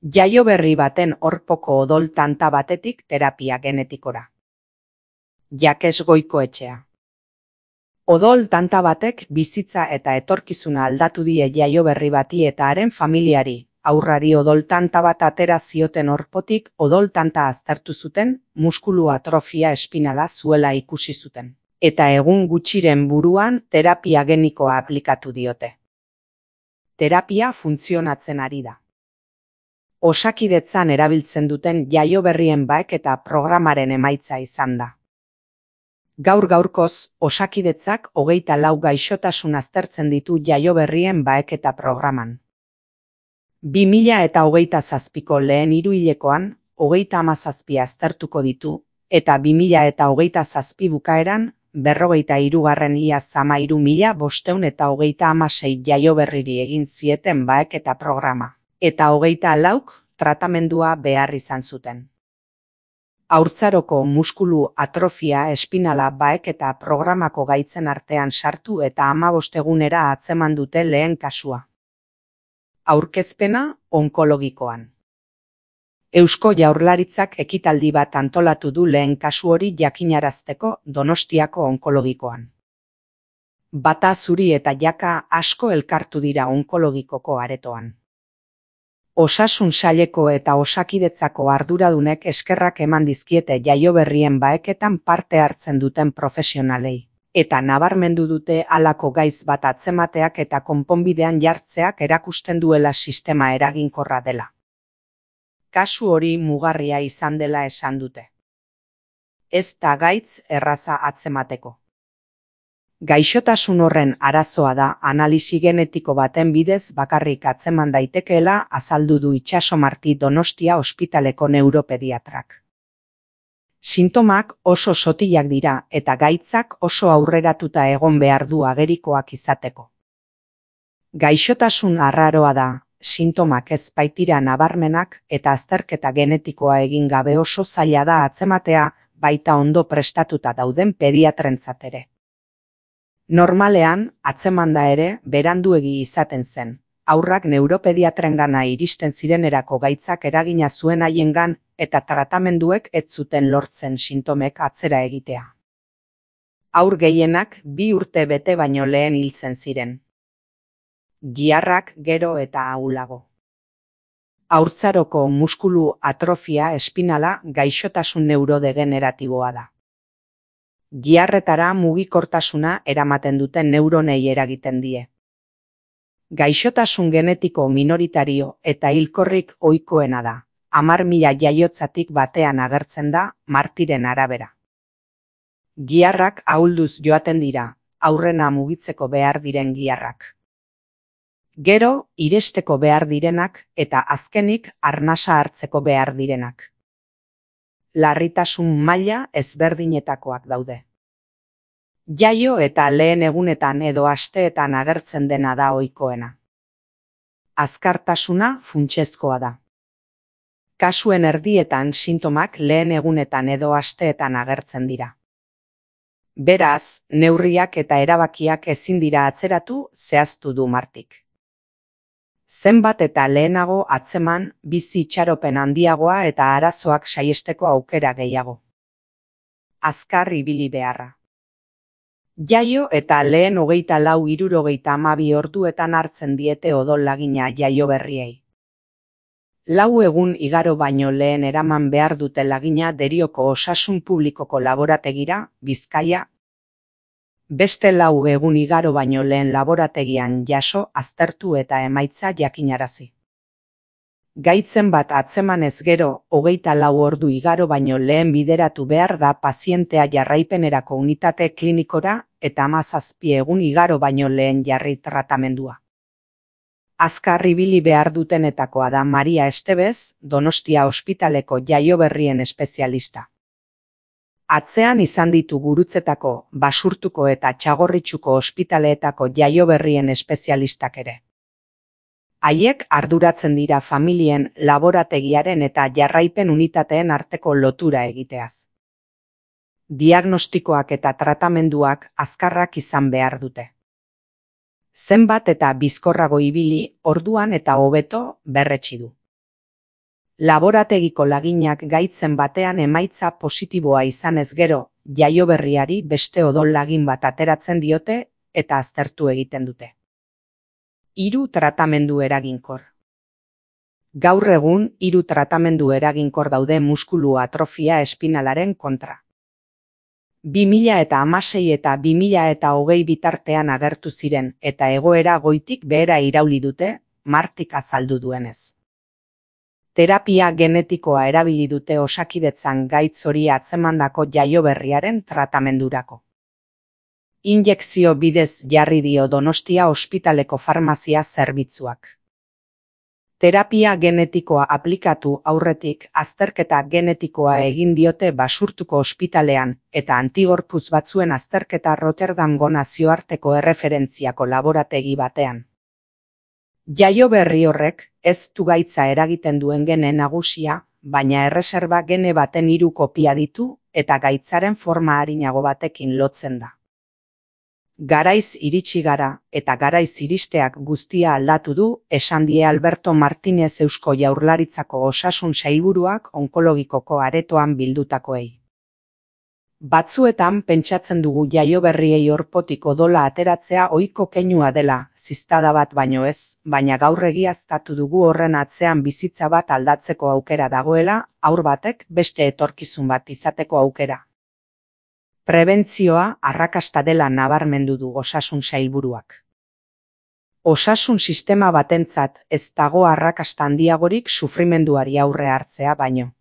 Jaio berri baten horpoko odol tanta batetik terapia genetikora. Jakes Goikoetxea. Odol tanta batek bizitza eta etorkizuna aldatu die jaio berri bati eta haren familiari. Haurrari odol tanta bat atera zioten horpotik odol tanta aztertu zuten, muskulu atrofia espinala zuela ikusi zuten. Eta egun gutxiren buruan terapia genikoa aplikatu diote. Terapia funtzionatzen ari da. Osakidetzan erabiltzen duten jaio berrien baeketa programaren emaitza izan da. Gaur-gaurkoz, Osakidetzak 24 gaixotasun aztertzen ditu jaio berrien baeketa programan. 2027ko lehen hiruhilekoan 37 aztertuko ditu, eta 2027 bukaeran 43. iaz 13.526 jaio berriri egin zieten baeketa programa. Eta 24 tratamendua behar izan zuten. Haurtzaroko muskulu atrofia espinala baeketa programako gaitzen artean sartu eta 15 egunera atzeman dute lehen kasua. Aurkezpena onkologikoan. Eusko Jaurlaritzak ekitaldi bat antolatu du lehen kasu hori jakinarazteko Donostiako onkologikoan. Bata zuri eta jaka asko elkartu dira onkologikoko aretoan. Osasun saileko eta Osakidetzako arduradunek eskerrak eman dizkiete jaio berrien baeketan parte hartzen duten profesionalei. Eta nabarmendu dute halako gaiz bat atzemateak eta konponbidean jartzeak erakusten duela sistema eraginkorra dela. Kasu hori mugarria izan dela esan dute. Ez da gaitz erraza atzemateko. Gaixotasun horren arazoa da analisi genetiko baten bidez bakarrik atzeman daitekeela azaldu du Itxaso Marti Donostia ospitaleko neuropediatrak. Sintomak oso sotilak dira eta gaitzak oso aurreratuta egon behar du agerikoak izateko. Gaixotasun arraroa da, sintomak ez baitira nabarmenak eta azterketa genetikoa egin gabe oso zaila da atzematea, baita ondo prestatuta dauden pediatrentzat ere. Normalean, atzemanda ere, beranduegi izaten zen. Haurrak neuropediatrengana iristen zirenerako gaitzak eragina zuen haiengan eta tratamenduek ez zuten lortzen sintomek atzera egitea. Haur gehienak 2 urte bete baino lehen hiltzen ziren. Giharrak gero eta ahulago. Haurtzaroko muskulu atrofia espinala gaixotasun neurodegeneratiboa da. Giharretara mugikortasuna eramaten duten neuronei eragiten die. Gaixotasun genetiko minoritario eta hilkorrik ohikoena da. 10.000 jaiotzatik batean agertzen da, Martiren arabera. Giharrak ahulduz joaten dira, aurrena mugitzeko behar diren giharrak. Gero, iresteko behar direnak eta azkenik arnasa hartzeko behar direnak. Larritasun maila ezberdinetakoak daude. Jaio eta lehen egunetan edo asteetan agertzen dena da ohikoena. Azkartasuna funtsezkoa da. Kasuen erdietan sintomak lehen egunetan edo asteetan agertzen dira. Beraz, neurriak eta erabakiak ezin dira atzeratu, zehaztu du Martik. Zenbat eta lehenago atzeman, bizi itxaropen handiagoa eta arazoak saihesteko aukera gehiago. Azkar ibili beharra. Jaio eta lehen 24-72 orduetan hartzen diete odol lagina jaio berriei. 4 egun igaro baino lehen eraman behar dute lagina Derioko Osasun Publikoko laborategira, Bizkaia. Beste 4 egun igaro baino lehen laborategian jaso, aztertu eta emaitza jakinarazi. Gaitzen bat atzemanez gero, 24 ordu igaro baino lehen bideratu behar da pazientea jarraipenerako unitate klinikora eta 17 egun igaro baino lehen jarri tratamendua. Azkar ibili behar dutenetakoa da Maria Estebez, Donostia ospitaleko jaio berrien espezialista. Atzean izan ditu Gurutzetako, Basurtuko eta Txagorritxuko ospitaleetako jaio berrien espezialistak ere. Haiek arduratzen dira familien, laborategiaren eta jarraipen unitateen arteko lotura egiteaz. Diagnostikoak eta tratamenduak azkarrak izan behar dute. Zenbat eta bizkorrago ibili, orduan eta hobeto berretsi du. Laborategiko laginak gaitzen batean emaitza positiboa izanez gero, jaioberriari beste odol lagin bat ateratzen diote eta aztertu egiten dute. 3 tratamendu eraginkor. Gaur egun 3 tratamendu eraginkor daude muskulu atrofia espinalaren kontra. 2016 eta 2020 bitartean agertu ziren eta egoera goitik behera irauli dute, Martik azaldu duenez. Terapia genetikoa erabili dute Osakidetzan gaitz hori atzemandako jaioberriaren tratamendurako. Injekzio bidez jarri dio Donostia ospitaleko farmazia zerbitzuak. Terapia genetikoa aplikatu aurretik azterketa genetikoa egin diote Basurtuko ospitalean eta antigorputz batzuen azterketa Rotterdamgo nazioarteko erreferentziako laborategi batean. Jaioberri horrek ez du gaitza eragiten duen gene nagusia, baina erreserba gene baten 3 kopia ditu eta gaitzaren forma arinago batekin lotzen da. Garaiz iritsi gara eta garaiz iristeak guztia aldatu du, esan die Alberto Martínez Eusko Jaurlaritzako Osasun Sailburuak onkologikoko aretoan bildutakoei. Batzuetan pentsatzen dugu jaioberriei orpotik odola ateratzea ohiko keinua dela, ziztada bat baino ez, baina gaur egiaztatu dugu horren atzean bizitza bat aldatzeko aukera dagoela, haur batek beste etorkizun bat izateko aukera. Prebentzioa arrakasta dela nabarmendu du Osasun Sailburuak. Osasun sistema batentzat ez dago arrakasta handiagorik sufrimenduari aurre hartzea baino.